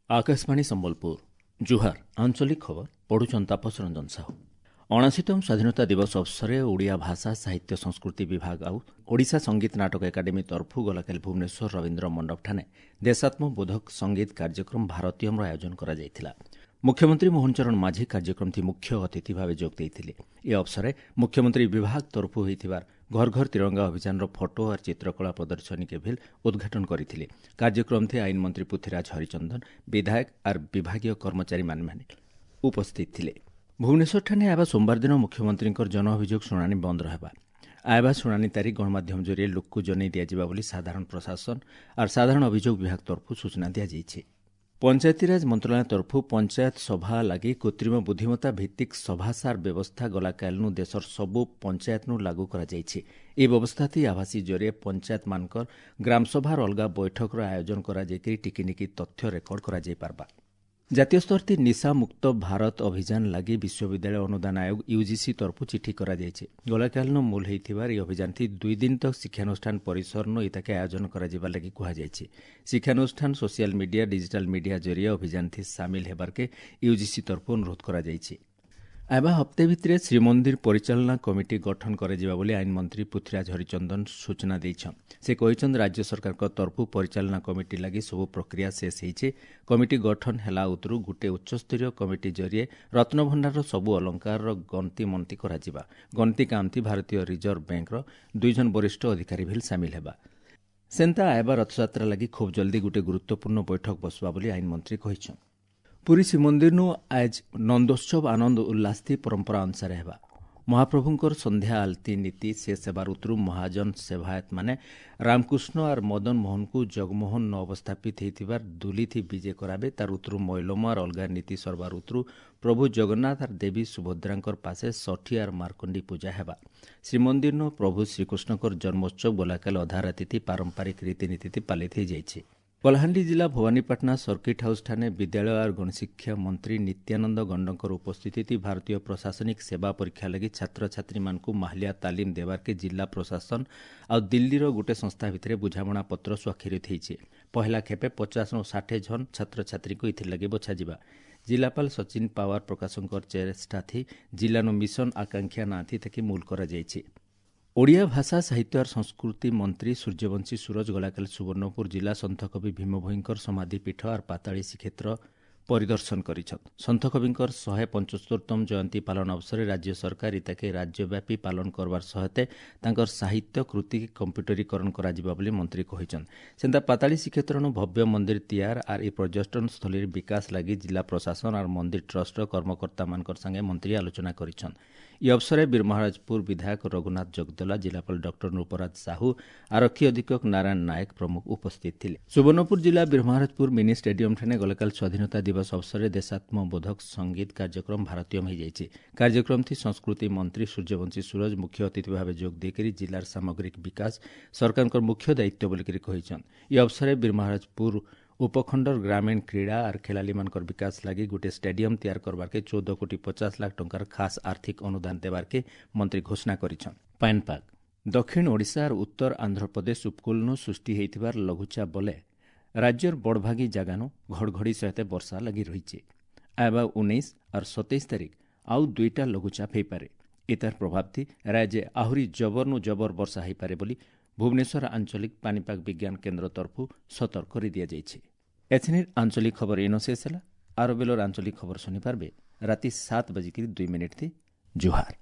Akashvani Sambalpur ଜୁହାର। ଆଞ୍ଚଳିକ ଖବର ପଢୁଛନ୍ ତାପସ ରଞ୍ଜନ ସାହୁ। 79ତମ ସ୍ୱାଧୀନତା ଦିବସ ଅବସରରେ ଓଡ଼ିଆ ଭାଷା ସାହିତ୍ୟ ସଂସ୍କୃତି ବିଭାଗ ଆଉ ଓଡ଼ିଶା ସଙ୍ଗୀତ ନାଟକ ଏକାଡେମୀ ତରଫରୁ ଗଲାକାଲି ଭୁବନେଶ୍ୱର ରବୀନ୍ଦ୍ର ମଣ୍ଡପଠାରେ ଦେଶାତ୍ମବୋଧକ ସଙ୍ଗୀତ କାର୍ଯ୍ୟକ୍ରମ ଭାରତୀୟମର ଆୟୋଜନ କରାଯାଇଥିଲା। ମୁଖ୍ୟମନ୍ତ୍ରୀ ମୋହନ ଚରଣ ମାଝୀ କାର୍ଯ୍ୟକ୍ରମଟି ମୁଖ୍ୟ ଅତିଥି ଭାବେ ଯୋଗ ଦେଇଥିଲେ। ଏ ଅବସରରେ ମୁଖ୍ୟମନ୍ତ୍ରୀ ବିଭାଗ ତରଫରୁ ହୋଇଥିବା ଘର ଘର ତିରଙ୍ଗା ଅଭିଯାନର ଫଟୋ ଆର୍ ଚିତ୍ରକଳା ପ୍ରଦର୍ଶନୀକେ ଭିଲ୍ ଉଦ୍ଘାଟନ କରିଥିଲେ। କାର୍ଯ୍ୟକ୍ରମଥି ଆଇନ ମନ୍ତ୍ରୀ ପୃଥ୍ୱୀରାଜ ହରିଚନ୍ଦନ, ବିଧାୟକ ଆର୍ ବିଭାଗୀୟ କର୍ମଚାରୀମାନେ ଉପସ୍ଥିତ ଥିଲେ। ଭୁବନେଶ୍ୱରଠାରେ ଆଇବା ସୋମବାର ଦିନ ମୁଖ୍ୟମନ୍ତ୍ରୀଙ୍କର ଜନ ଅଭିଯୋଗ ଶୁଣାଣି ବନ୍ଦ ରହିବା। ଆଇବା ଶୁଣାଣି ତାରିଖ ଗଣମାଧ୍ୟମ ଜରିଆରେ ଲୋକକୁ ଜଣାଇ ଦିଆଯିବା ବୋଲି ସାଧାରଣ ପ୍ରଶାସନ ଆର୍ ସାଧାରଣ ଅଭିଯୋଗ ବିଭାଗ ତରଫରୁ ସୂଚନା ଦିଆଯାଇଛି। ପଞ୍ଚାୟତିରାଜ ମନ୍ତ୍ରଣାଳୟ ତରଫରୁ ପଞ୍ଚାୟତ ସଭା ଲାଗି କୃତ୍ରିମ ବୁଦ୍ଧିମତ୍ତା ଭିତ୍ତିକ ସଭାସାର ବ୍ୟବସ୍ଥା ଗଲାକାଲିନୁ ଦେଶର ସବୁ ପଞ୍ଚାୟତନୁ ଲାଗୁ କରାଯାଇଛି। ଏହି ବ୍ୟବସ୍ଥାଟି ଆଭାସୀ ଜରିଆରେ ପଞ୍ଚାୟତମାନଙ୍କର ଗ୍ରାମସଭାର ଅଲଗା ବୈଠକର ଆୟୋଜନ କରାଯାଇକରି ଟିକିନିକି ତଥ୍ୟ ରେକର୍ଡ କରାଯାଇପାରବା। ଜାତୀୟ ସ୍ତରଥି ନିଶାମୁକ୍ତ ଭାରତ ଅଭିଯାନ ଲାଗି ବିଶ୍ୱବିଦ୍ୟାଳୟ ଅନୁଦାନ ଆୟୋଗ ୟୁଜିସି ତରଫରୁ ଚିଠି କରାଯାଇଛି। ଗଲାକାଲିନୁ ମୂଲ ହୋଇଥିବାର ଏହି ଅଭିଯାନଥି 2 ଦିନ ତକ ଶିକ୍ଷାନୁଷ୍ଠାନ ପରିସରନୁ ଇତାକେ ଆୟୋଜନ କରାଯିବା ଲାଗି କୁହାଯାଇଛି। ଶିକ୍ଷାନୁଷ୍ଠାନ ସୋସିଆଲ ମିଡିଆ, ଡିଜିଟାଲ ମିଡିଆ ଜରିଆ ଅଭିଯାନଥି ସାମିଲ ହେବାର୍କେ ୟୁଜିସି ତରଫରୁ ଅନୁରୋଧ କରାଯାଇଛି। ଆଇବା ହପ୍ତେ ଭିତରେ ଶ୍ରୀମନ୍ଦିର ପରିଚାଳନା କମିଟି ଗଠନ କରାଯିବା ବୋଲି ଆଇନ ମନ୍ତ୍ରୀ ପୃଥ୍ୱୀରାଜ ହରିଚନ୍ଦନ ସୂଚନା ଦେଇଛନ୍। ସେ କହିଛନ୍ତି, ରାଜ୍ୟ ସରକାରଙ୍କ ତରଫରୁ ପରିଚାଳନା କମିଟି ଲାଗି ସବୁ ପ୍ରକ୍ରିୟା ଶେଷ ହେଇଛି। କମିଟି ଗଠନ ହେଲା ଉତରୁ ଗୋଟିଏ ଉଚ୍ଚସ୍ତରୀୟ କମିଟି ଜରିଏ ରତ୍ନଭଣ୍ଡାରର ସବୁ ଅଳଙ୍କାରର ଗଣତି ମଣତି କରାଯିବା। ଗଣତି କାମଥି ଭାରତୀୟ ରିଜର୍ଭ ବ୍ୟାଙ୍କର 2 ଜଣ ବରିଷ୍ଠ ଅଧିକାରୀ ଭିଲ୍ ସାମିଲ ହେବା। ସେନ୍ତା ଆଇବା ରଥଯାତ୍ରା ଲାଗି ଖୁବ୍ ଜଲ୍ଦି ଗୋଟିଏ ଗୁରୁତ୍ୱପୂର୍ଣ୍ଣ ବୈଠକ ବସବା ବୋଲି ଆଇନ ମନ୍ତ୍ରୀ କହିଛନ୍ତି। ପୁରୀ ଶ୍ରୀମନ୍ଦିରନୁ ଆଜ ନନ୍ଦୋତ୍ସବ ଆନନ୍ଦ ଉଲ୍ଲାସଥି ପରମ୍ପରା ଅନୁସାରେ ହେବା। ମହାପ୍ରଭୁଙ୍କର ସନ୍ଧ୍ୟା ଆଳତୀ ନୀତି ଶେଷ ହେବାର ଉତରୁ ମହାଜନ ସେବାୟତମାନେ ରାମକୃଷ୍ଣ ଆର୍ ମଦନ ମୋହନକୁ ଜଗମୋହନ ନ ଅବସ୍ଥାପିତ ହେଇଥିବାର ଦୁଲିଥି ବିଜେ କରାବେ। ତାର ଉତରୁ ମୈଲମ ଆର୍ ଅଲଗା ନୀତି ସରବାର ଉତରୁ ପ୍ରଭୁ ଜଗନ୍ନାଥ ଆର୍ ଦେବୀ ସୁଭଦ୍ରାଙ୍କର ପାଶେ ଷଠି ଆର୍ ମାର୍କଣ୍ଡି ପୂଜା ହେବା। ଶ୍ରୀମନ୍ଦିରନୁ ପ୍ରଭୁ ଶ୍ରୀକୃଷ୍ଣଙ୍କର ଜନ୍ମୋତ୍ସବ ଗଲାକାଲି ଅଧା ରାତିଥି ପାରମ୍ପରିକ ରୀତିନୀତି ପାଳିତ ହୋଇଯାଇଛି। କଳାହାଣ୍ଡି ଜିଲ୍ଲା ଭବାନୀପାଟଣା ସର୍କିଟ୍ ହାଉସ୍ଠାରେ ବିଦ୍ୟାଳୟ ଆର୍ ଗଣଶିକ୍ଷା ମନ୍ତ୍ରୀ ନିତ୍ୟାନନ୍ଦ ଗଣ୍ଡଙ୍କର ଉପସ୍ଥିତି ଭାରତୀୟ ପ୍ରଶାସନିକ ସେବା ପରୀକ୍ଷା ଲାଗି ଛାତ୍ରଛାତ୍ରୀମାନଙ୍କୁ ମାହାଲିଆ ତାଲିମ ଦେବାର୍କେ ଜିଲ୍ଲା ପ୍ରଶାସନ ଆଉ ଦିଲ୍ଲୀର ଗୋଟେ ସଂସ୍ଥା ଭିତରେ ବୁଝାମଣା ପତ୍ର ସ୍ୱାକ୍ଷରିତ ହୋଇଛି। ପହିଲା ଖେପେ 50ରୁ 60 ଜଣ ଛାତ୍ରଛାତ୍ରୀଙ୍କୁ ଏଥିର୍ଲାଗି ବଛାଯିବା। ଜିଲ୍ଲାପାଳ ସଚିନ ପାୱାର ପ୍ରକାଶଙ୍କର ଚେଷ୍ଟାଥି ଜିଲ୍ଲାନୁ ମିଶନ ଆକାଂକ୍ଷା ନାଁଥି ତାକି ମୂଲ କରାଯାଇଛି। ଓଡ଼ିଆ ଭାଷା ସାହିତ୍ୟ ଆର୍ ସଂସ୍କୃତି ମନ୍ତ୍ରୀ ସୂର୍ଯ୍ୟବଂଶୀ ସୂରଜ ଗଲାକାଲି ସୁବର୍ଣ୍ଣପୁର ଜିଲ୍ଲା ସନ୍ଥକବି ଭୀମଭୋଇଙ୍କର ସମାଧି ପୀଠ ଆର୍ ପାତାଳୀ ଶ୍ରୀକ୍ଷେତ୍ର ପରିଦର୍ଶନ କରିଛନ୍। ସନ୍ଥକବିଙ୍କର 175ତମ ଜୟନ୍ତୀ ପାଳନ ଅବସରରେ ରାଜ୍ୟ ସରକାର ଇତାକେ ରାଜ୍ୟବ୍ୟାପୀ ପାଳନ କରବାର ସହାୟତେ ତାଙ୍କର ସାହିତ୍ୟ କୃତି କମ୍ପ୍ୟୁଟରୀକରଣ କରାଯିବା ବୋଲି ମନ୍ତ୍ରୀ କହିଛନ୍। ସେନ୍ତା ପାତାଳୀ ଶ୍ରୀକ୍ଷେତ୍ରନୁ ଭବ୍ୟ ମନ୍ଦିର ତିଆର ଆର୍ ଇ ପର୍ଯ୍ୟଟନ ସ୍ଥଳୀର ବିକାଶ ଲାଗି ଜିଲ୍ଲା ପ୍ରଶାସନ ଆର୍ ମନ୍ଦିର ଟ୍ରଷ୍ଟର କର୍ମକର୍ତ୍ତାମାନଙ୍କର ସାଙ୍ଗେ ମନ୍ତ୍ରୀ ଆଲୋଚନା କରିଛନ୍। ଇ ଅବସରରେ ବୀରମହାରାଜପୁର ବିଧାୟକ ରଘୁନାଥ ଜଗଦଲା, ଜିଲ୍ଲାପାଳ ଡକ୍ଟର ନୃପରାଜ ସାହୁ, ଆରକ୍ଷୀ ଅଧୀକ୍ଷକ ନାରାୟଣ ନାୟକ ପ୍ରମୁଖ ଉପସ୍ଥିତ ଥିଲେ। ସୁବର୍ଣ୍ଣପୁର ଜିଲ୍ଲା ବୀରମହାରାଜପୁର ମିନି ଷ୍ଟାଡିୟମଠାରେ ଗତକାଲି ସ୍ୱାଧୀନତା ଦିବସ ଅବସରରେ ଦେଶାତ୍ମବୋଧକ ସଙ୍ଗୀତ କାର୍ଯ୍ୟକ୍ରମ ଭାରତୀୟମ ହୋଇଯାଇଛି। କାର୍ଯ୍ୟକ୍ରମଥି ସଂସ୍କୃତି ମନ୍ତ୍ରୀ ସୂର୍ଯ୍ୟବଂଶୀ ସୂରଜ ମୁଖ୍ୟ ଅତିଥି ଭାବେ ଯୋଗ ଦେଇକରି ଜିଲ୍ଲାର ସାମଗ୍ରିକ ବିକାଶ ସରକାରଙ୍କର ମୁଖ୍ୟ ଦାୟିତ୍ୱ ବୋଲିକରି କହିଛନ୍। ଇ ଅବସରରେ ବୀରମହାରାଜପୁର ଉପଖଣ୍ଡର ଗ୍ରାମୀଣ କ୍ରୀଡ଼ା ଆର୍ ଖେଳାଳିମାନଙ୍କର ବିକାଶ ଲାଗି ଗୋଟିଏ ଷ୍ଟାଡିୟମ ତିଆର କରବାର୍କେ 14 କୋଟି 50 ଲାଖ ଟଙ୍କାର ଖାସ୍ ଆର୍ଥିକ ଅନୁଦାନ ଦେବାର୍କେ ମନ୍ତ୍ରୀ ଘୋଷଣା କରିଛନ୍। ପାଣିପାଗ ଦକ୍ଷିଣ ଓଡ଼ିଶା ଆର୍ ଉତ୍ତର ଆନ୍ଧ୍ରପ୍ରଦେଶ ଉପକୂଳନୁ ସୃଷ୍ଟି ହୋଇଥିବାର ଲଘୁଚାପ ବଲେ ରାଜ୍ୟର ବଡ଼ଭାଗୀ ଜାଗାନୁ ଘଡ଼ଘଡ଼ି ସହିତ ବର୍ଷା ଲାଗି ରହିଛି। ଆଇବା 19 ଆର୍ 27 ତାରିଖ ଆଉ 2ଟା ଲଘୁଚାପ ହୋଇପାରେ। ଏତାର ପ୍ରଭାବଥି ରାଜ୍ୟ ଆହୁରି ଜବରନୁ ଜବର ବର୍ଷା ହୋଇପାରେ ବୋଲି ଭୁବନେଶ୍ୱର ଆଞ୍ଚଳିକ ପାଣିପାଗ ବିଜ୍ଞାନ କେନ୍ଦ୍ର ତରଫରୁ ସତର୍କ କରିଦିଆଯାଇଛି। ଏଥିନିର ଆଞ୍ଚଳିକ ଖବର ଏନ ଶେଷ ହେଲା। ଆର ବେଲର ଆଞ୍ଚଳିକ ଖବର ଶୁଣିପାରିବେ ରାତି 7:02 ଥି। ଜୁହାର।